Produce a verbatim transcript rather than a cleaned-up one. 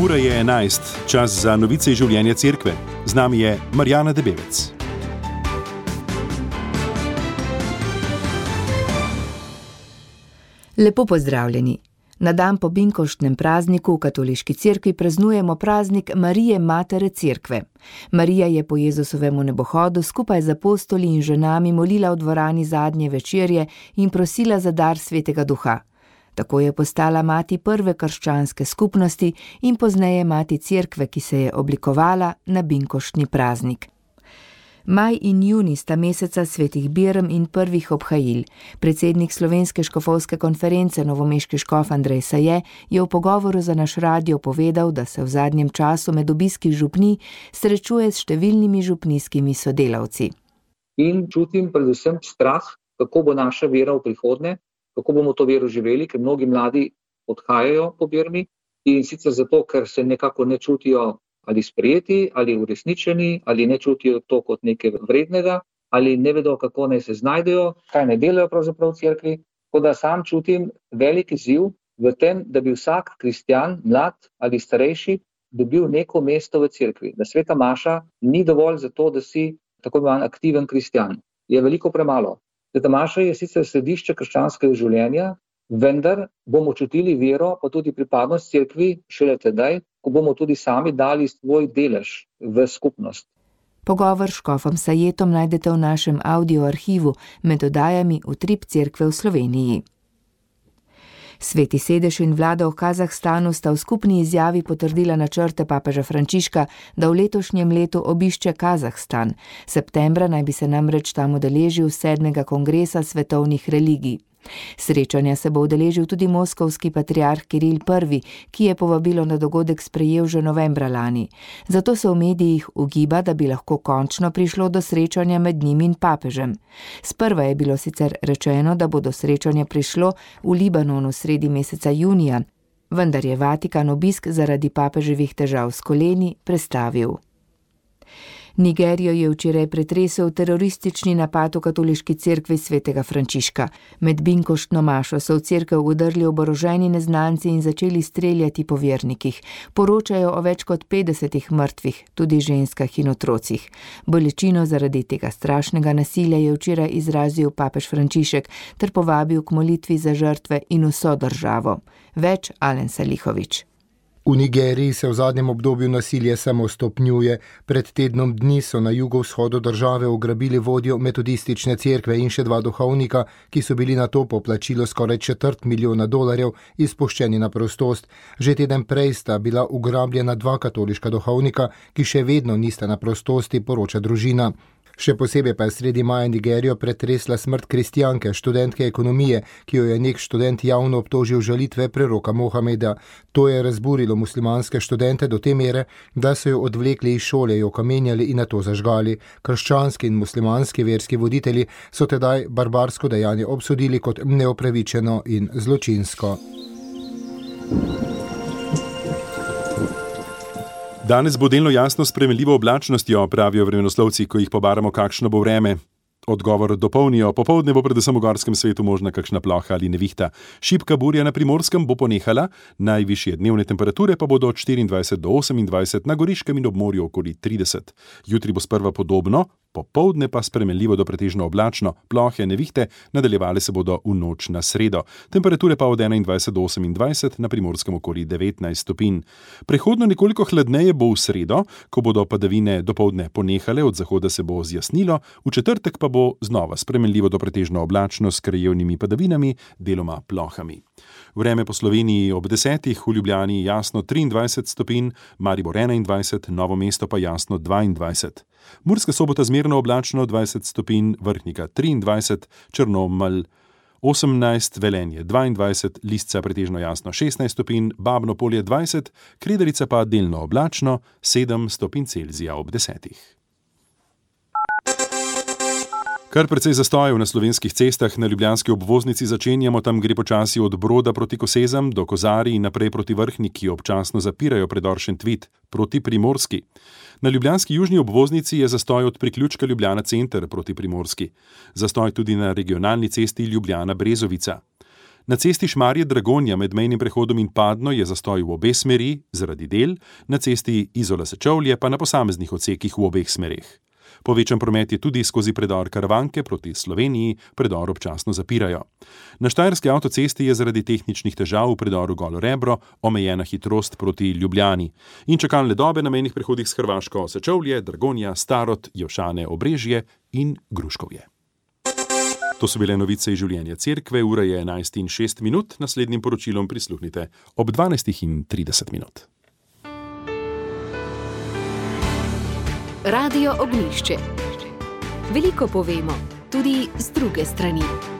Ura je enajst, čas za novice iz življenja cerkve. Z nami je Marjana Debevec. Lepo pozdravljeni. Na dan po binkoštnem prazniku v katoliški cerkvi praznujemo praznik Marije Matere Cerkve. Marija je po Jezusovemu nebohodu skupaj z apostoli in ženami molila v dvorani zadnje večerje in prosila za dar Svetega Duha. Tako je postala mati prve krščanske skupnosti in pozneje mati cerkve, ki se je oblikovala na binkoštni praznik. Maj in junij sta meseca svetih Birm in prvih obhajil. Predsednik Slovenske škofovske konference novomeški škof Andrej Saje je v pogovoru za naš radio povedal, da se v zadnjem času med obiski župnij srečuje s številnimi župnijskimi sodelavci. In čutim predvsem strah, kako bo naša vera v prihodnje, kako bomo to vero živeli, ker mnogi mladi odhajajo po Birmi in sicer zato, ker se nekako ne čutijo ali sprejeti, ali uresničeni, ali ne čutijo to kot nekaj vrednega, ali ne vedo, kako naj se znajdejo, kaj ne delajo pravzaprav v cerkvi. Tako da sam čutim velik izziv v tem, da bi vsak kristjan, mlad ali starejši, dobil neko mesto v cerkvi. Da sveta maša ni dovolj za to, da si tako imenovan aktiven kristjan. Je veliko premalo. Sveta maša je sicer središče krščanskega življenja, vendar bomo čutili vero, pa tudi pripadnost cerkvi šele tedaj, ko bomo tudi sami dali svoj delež v skupnost. Pogovor s škofom Sajetom najdete v našem audioarhivu med oddajami Utrip cerkve v Sloveniji. Sveti sedež in vlada v Kazahstanu sta v skupni izjavi potrdila načrte papeža Frančiška, da v letošnjem letu obišče Kazahstan. Septembra naj bi se namreč tam udeležil sedmega kongresa svetovnih religij. Srečanja se bo udeležil tudi moskovski patriarh Kiril prvi, ki je povabilo na dogodek sprejel že novembra lani. Zato se v medijih ugiba, da bi lahko končno prišlo do srečanja med njim in papežem. Sprva je bilo sicer rečeno, da bo do srečanja prišlo v Libanonu sredi meseca junija, vendar je Vatikan obisk zaradi papeževih težav s koleni prestavil. Nigerijo je včeraj pretresel teroristični napad v katoliški cerkvi svetega Frančiška. Med binkoštno mašo so v cerkev vdrli oboroženi neznanci in začeli streljati po vernikih. Poročajo o več kot petdesetih mrtvih, tudi ženskah in otrocih. Bolečino zaradi tega strašnega nasilja je včeraj izrazil papež Frančišek ter povabil k molitvi za žrtve in vso državo. Več Alen Salihovič. V Nigeriji se v zadnjem obdobju nasilje samo stopnjuje. Pred tednom dni so na jugovzhodu države ugrabili vodjo metodistične cerkve in še dva duhovnika, ki so bili na to po plačilu skoraj četrt milijona dolarjev izpuščeni na prostost. Že teden prej sta bila ugrabljena dva katoliška duhovnika, ki še vedno nista na prostosti, poroča družina. Še posebej pa je sredi maja Nigerijo pretresla smrt kristjanke, študentke ekonomije, ki jo je nek študent javno obtožil žalitve preroka Mohameda. To je razburilo muslimanske študente do te mere, da so jo odvlekli iz šole, jo kamenjali in nato zažgali. Krščanski in muslimanski verski voditelji so tedaj barbarsko dejanje obsodili kot neopravičeno in zločinsko. Danes bo delno jasno s spremenljivo oblačnostjo, pravijo vremenoslovci, ko jih pobaramo, kakšno bo vreme. Odgovor dopolnijo, popoldne bo predvsem v gorskem svetu možna kakšna ploha ali nevihta. Šibka burja na Primorskem bo ponehala, najvišje dnevne temperature pa bodo od štiriindvajset do osemindvajset, na Goriškem in ob morju okoli trideset. Jutri bo sprva podobno, popoldne pa spremenljivo do pretežno oblačno, plohe, nevihte, nadaljevale se bodo v noč na sredo. Temperature pa od enaindvajset do osemindvajset, na Primorskem okoli devetnajst stopinj. Prehodno nekoliko hladneje bo v sredo, ko bodo padavine dopoldne ponehale, od zahoda se bo zjasnilo, v četrtek pa bo znova spremenljivo do pretežno oblačno s krajevnimi padavinami, deloma plohami. Vreme po Sloveniji ob desetih, v Ljubljani jasno triindvajset stopinj, Maribor enaindvajset, Novo mesto pa jasno dvaindvajset. Murska Sobota zmerno oblačno dvajset stopinj, Vrhnika triindvajset, Črnomelj osemnajst, Velenje dvaindvajset, Lisca pretežno jasno šestnajst stopinj, Babno Polje dvajset, Kredarica pa delno oblačno sedem stopinj Celzija ob desetih. Kar precej zastojev na slovenskih cestah, na ljubljanski obvoznici začenjamo, tam gre počasi od Broda proti Kosezam do Kozarij in naprej proti Vrhniki, občasno zapirajo predor Šentvid proti Primorski. Na ljubljanski južni obvoznici je zastoj od priključka Ljubljana center proti Primorski. Zastoj tudi na regionalni cesti Ljubljana Brezovica. Na cesti Šmarje-Dragonja med mejnim prehodom in Padno je zastoj v obe smeri zaradi del, na cesti Izola-Sečovlje pa na posameznih odsekih v obeh smereh. Povečan promet je tudi skozi predor Karavanke proti Sloveniji, predor občasno zapirajo. Na štajerski avtocesti je zaradi tehničnih težav v predoru Golo Rebro omejena hitrost proti Ljubljani in čakalne dobe na mejnih prehodih s Hrvaško Sečovlje, Dragonja, Starod, Jošane, Obrežje in Gruškovje. To so bile novice iz življenja cerkve, ura je enajst in šest minut, naslednjim poročilom prisluhnite ob dvanajst in trideset minut. Radio Ognjišče. Veliko povemo, tudi z druge strani.